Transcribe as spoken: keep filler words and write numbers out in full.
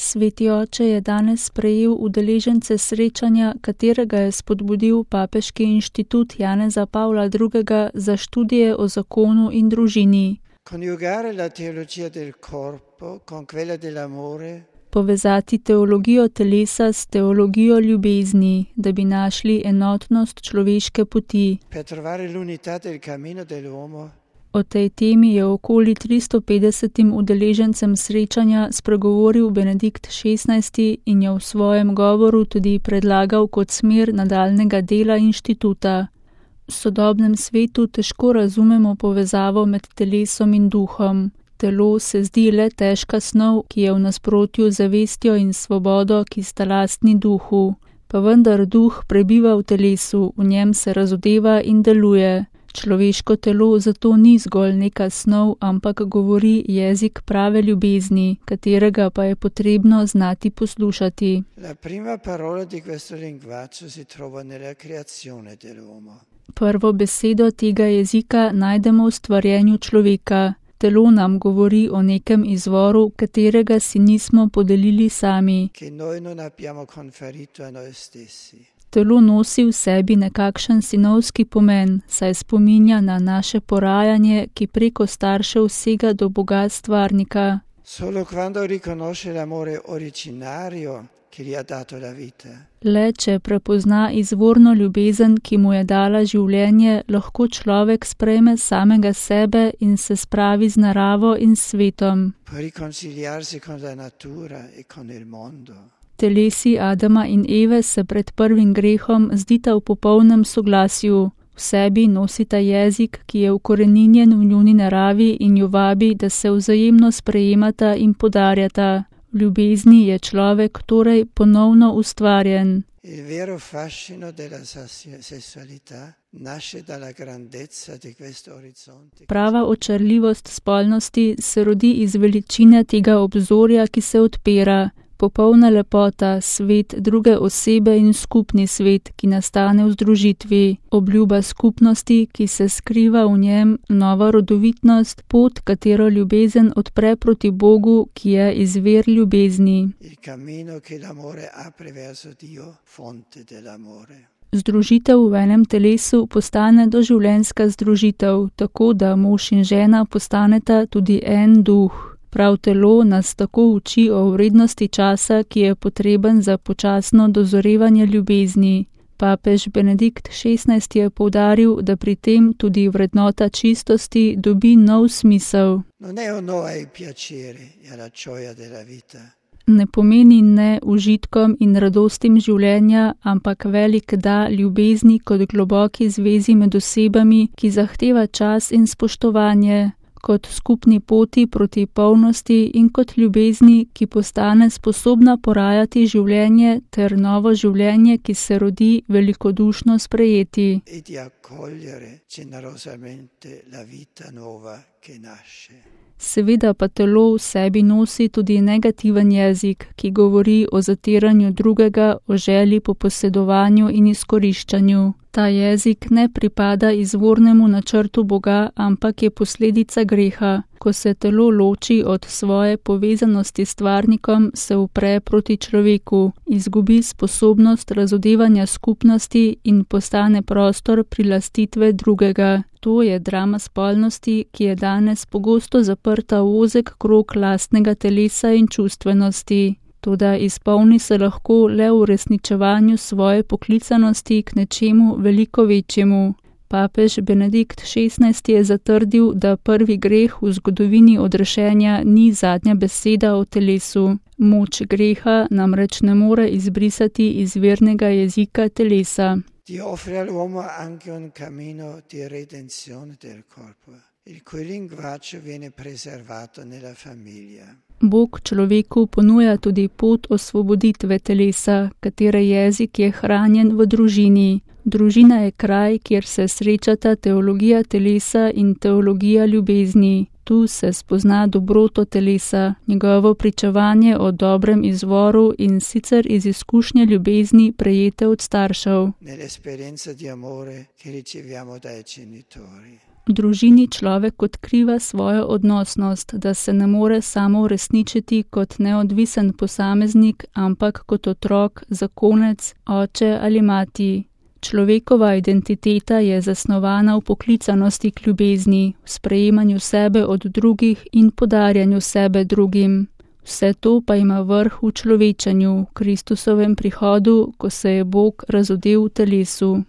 Sveti oče je danes sprejel udeležence srečanja, katerega je spodbudil Papeški inštitut Janeza Pavla drugega za študije o zakonu in družini. Coniugare la teologia del corpo con quella dell'amore. Povezati teologijo telesa s teologijo ljubezni, da bi našli enotnost človeške poti. Per trovare l'unità del cammino dell'uomo. O tej temi je okoli tristo petdesetim udeležencem srečanja spregovoril Benedikt šestnajsti in jo v svojem govoru tudi predlagal kot smer nadaljnega dela inštituta. V sodobnem svetu težko razumemo povezavo med telesom in duhom. Telo se zdi le težka snov, ki je v nasprotju z zavestjo in svobodo, ki sta lastni duhu. Pa vendar duh prebiva v telesu, v njem se razodeva in deluje. Človeško telo zato ni zgolj neka snov, ampak govori jezik prave ljubezni, katerega pa je potrebno znati poslušati. La prima parola di questo linguaggio si trova nella creazione dell'uomo. Prvo besedo tega jezika najdemo v stvarjenju človeka. Telo nam govori o nekem izvoru, katerega si nismo podelili sami. Che noi non abbiamo conferito a noi stessi. Telo nosi v sebi nekakšen sinovski pomen, saj spominja na naše porajanje, ki preko staršev sega do Boga stvarnika. Solo quando riconosce l'amore originario che gli ha dato la vita. Le če prepozna izvorno ljubezen, ki mu je dala življenje, lahko človek sprejme samega sebe in se spravi z naravo in svetom. Può riconciliarsi con la natura e con il mondo. Telesi Adama in Eve se pred prvim grehom zdita v popolnem soglasju. V sebi nosita jezik, ki je ukoreninjen v njuni naravi in jo vabi, da se vzajemno sprejemata in podarjata. V ljubezni je človek torej ponovno ustvarjen. Il vero fascino della sessualità nasce dalla grandezza di questo orizzonte. Prava očarljivost spolnosti se rodi iz veličine tega obzorja, ki se odpira. Popolna lepota, svet druge osebe in skupni svet, ki nastane v združitvi, obljuba skupnosti, ki se skriva v njem, nova rodovitnost, pot, katero ljubezen odpre proti Bogu, ki je izvir ljubezni. Il cammino che l'amore apre verso Dio, fonte dell'amore. Združitev v enem telesu postane doživljenjska združitev, tako da mož in žena postaneta tudi en duh. Prav telo nas tako uči o vrednosti časa, ki je potreben za počasno dozorevanje ljubezni. Papež Benedikt šestnajsti je poudaril, da pri tem tudi vrednota čistosti dobi nov smisel. Non è un no ai piaceri e alla gioia della vita. Ne pomeni ne užitkom in radostim življenja, ampak velik da ljubezni kot globoki zvezi med osebami, ki zahteva čas in spoštovanje, kot skupni poti proti polnosti in kot ljubezni, ki postane sposobna porajati življenje ter novo življenje, ki se rodi velikodušno sprejeti. E di accogliere generosamente la vita nuova che nasce. Seveda pa telo v sebi nosi tudi negativen jezik, ki govori o zatiranju drugega, o želji po posedovanju in izkoriščanju. Ta jezik ne pripada izvornemu načrtu Boga, ampak je posledica greha. Ko se telo loči od svoje povezanosti s stvarnikom, se upre proti človeku, izgubi sposobnost razodevanja skupnosti in postane prostor prilastitve drugega. To je drama spolnosti, ki je danes pogosto zaprta v ozek krog lastnega telesa in čustvenosti. Toda izpolni se lahko le v uresničevanju svoje poklicanosti k nečemu veliko večjemu. Papež Benedikt šestnajsti je zatrdil, da prvi greh v zgodovini odrešenja ni zadnja beseda o telesu. Moč greha namreč ne more izbrisati izvirnega jezika telesa. Dio offre all'uomo anche un cammino di redenzione del corpo, il cui linguaggio viene preservato nella famiglia. Bog človeku ponuja tudi pot osvoboditve telesa, katere jezik je hranjen v družini. Družina je kraj, kjer se srečata teologija telesa in teologija ljubezni. Tu se spozna dobroto telesa, njegovo pričevanje o dobrem izvoru in sicer iz izkušnje ljubezni prejete od staršev. V družini človek odkriva svojo odnosnost, da se ne more samo uresničiti kot neodvisen posameznik, ampak kot otrok, zakonec, oče ali mati. Človekova identiteta je zasnovana v poklicanosti k ljubezni, v sprejemanju sebe od drugih in podarjanju sebe drugim. Vse to pa ima vrh v človečanju, v Kristusovem prihodu, ko se je Bog razodel v telesu.